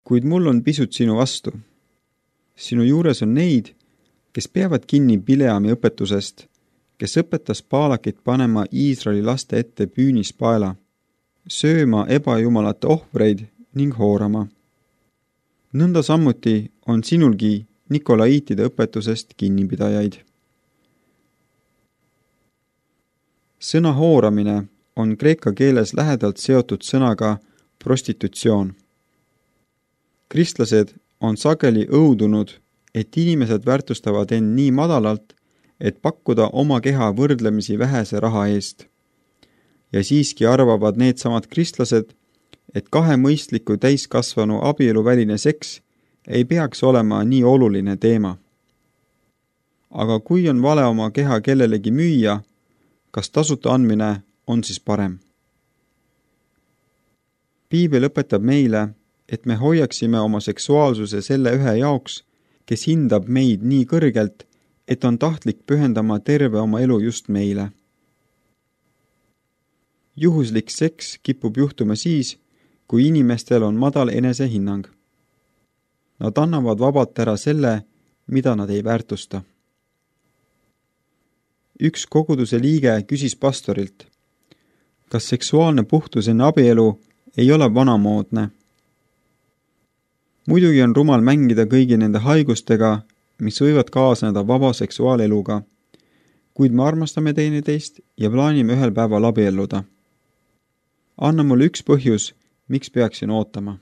Kuid mul on pisut sinu vastu. Sinu juures on neid, kes peavad kinni Bileami õpetusest, kes õpetas Baalakit panema Iisraeli laste ette püünispaela, sööma ebajumalate ohvreid ning hoorama. Nõnda samuti on sinulgi Nikolaiitide õpetusest kinnipidajaid. Sõna hooramine on kreeka keeles lähedalt seotud sõnaga prostitutsioon. Kristlased on sageli õudunud, et inimesed väärtustavad end nii madalalt, et pakkuda oma keha võrdlemisi vähese raha eest. Ja siiski arvavad needsamad kristlased, et kahe mõistliku täiskasvanu abieluväline seks ei peaks olema nii oluline teema. Aga kui on vale oma keha kellelegi müüa, kas tasuta andmine on siis parem? Piibel õpetab meile, et me hoiaksime oma seksuaalsuse selle ühe jaoks, kes hindab meid nii kõrgelt, et on tahtlik pühendama terve oma elu just meile. Juhuslik seks kipub juhtuma siis, kui inimestel on madal enesehinnang. Nad annavad vabalt ära selle, mida nad ei väärtusta. Üks koguduse liige küsis pastorilt, kas seksuaalne puhtus enne abielu ei ole vanamoodne. Muidugi on rumal mängida kõigi nende haigustega, mis võivad kaasneda vaba seksuaaleluga, kuid me armastame teineteist ja plaanime ühel päeval abielluda. Anna mulle üks põhjus, miks peaksin ootama.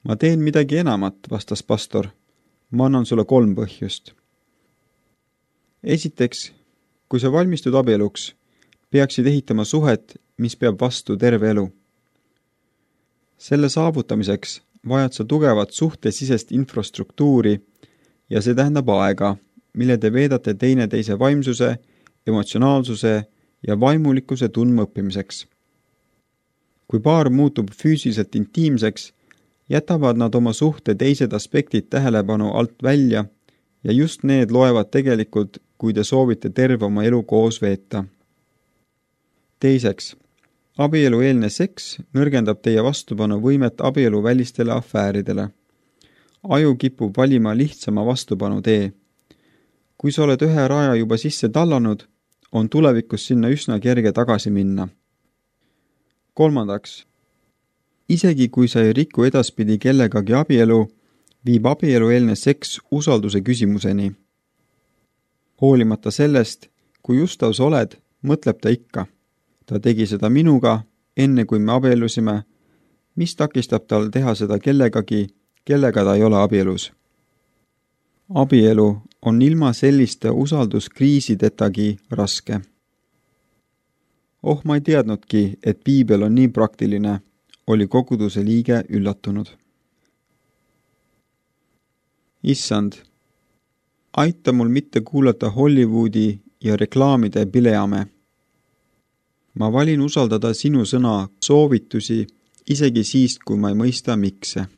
Ma teen midagi enamat, vastas pastor. Ma annan sulle 3 põhjust. Esiteks, kui sa valmistud abieluks, peaksid ehitama suhet, mis peab vastu terve elu. Selle saavutamiseks vajad sa tugevat suhtesisest infrastruktuuri ja see tähendab aega, mille te veedate teineteise vaimsuse, emotsionaalsuse ja vaimulikkuse tundma õppimiseks. Kui paar muutub füüsiliselt intiimseks, jätavad nad oma suhte teised aspektid tähelepanu alt välja ja just need loevad tegelikult, kui te soovite terve oma elu koos veeta. Teiseks, abielueelne seks nõrgendab teie vastupanu võimet abielu välistele afääridele. Aju kipub valima lihtsama vastupanu tee. Kui sa oled ühe raja juba sisse tallanud, on tulevikus sinna üsna kerge tagasi minna. Kolmandaks, isegi kui sa ei riku edaspidi kellegagi abielu, viib abielueelne seks usalduse küsimuseni. Hoolimata sellest, kui ustav sa oled, mõtleb ta ikka. Ta tegi seda minuga, enne kui me abiellusime, mis takistab tal teha seda kellegagi, kellega ta ei ole abielus. Abielu on ilma selliste usalduskriisidetagi raske. Ma ei teadnudki, et piibel on nii praktiline, oli koguduse liige üllatunud. Issand, aita mul mitte kuulata Hollywoodi ja reklaamide Bileame. Ma valin usaldada sinu sõna soovitusi isegi siis, kui ma ei mõista mikse.